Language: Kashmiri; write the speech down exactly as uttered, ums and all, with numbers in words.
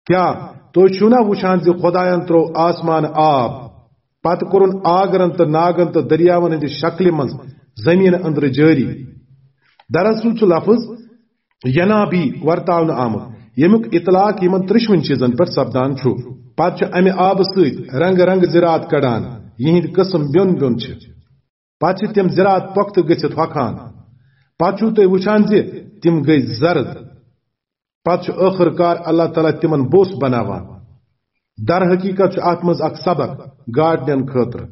کیا تُہۍ چھِو نا وٕچھان زِ خۄدایَن ترٛوو آسمان آب، پتہٕ کوٚرُن آگرن تہٕ ناگن تہٕ دٔریاوَن ہٕنٛدِ شکلہِ منٛز زٔمیٖنہٕ أنٛدرٕ جٲری؟ دراصل چھُ لفظ ینابی ورتاونہٕ آمُت، ییٚمیُک اطلاق یِمن ترٛشوٕنۍ چیٖزن پٮ۪ٹھ سپدان چھُ۔ پتہٕ چھُ امہِ آبہٕ سۭتۍ رنگہٕ رنگہٕ زِراعت کڑان، یِہنٛدۍ قٕسم بیوٚن بیوٚن چھِ۔ پتہٕ چھِ تِم زِراعت پۄختہٕ گٔژھِتھ ہۄکھان۔ پتہٕ چھِو تُہۍ وٕچھان زِ تِم گٔے زرد۔ پتہٕ چھُ ٲخٕر کار اللہ تعالیٰ تِمن بوٚس بناوان۔ در حقیقت چھُ اتھ منٛز اکھ سبق گاڈنین خٲطرٕ۔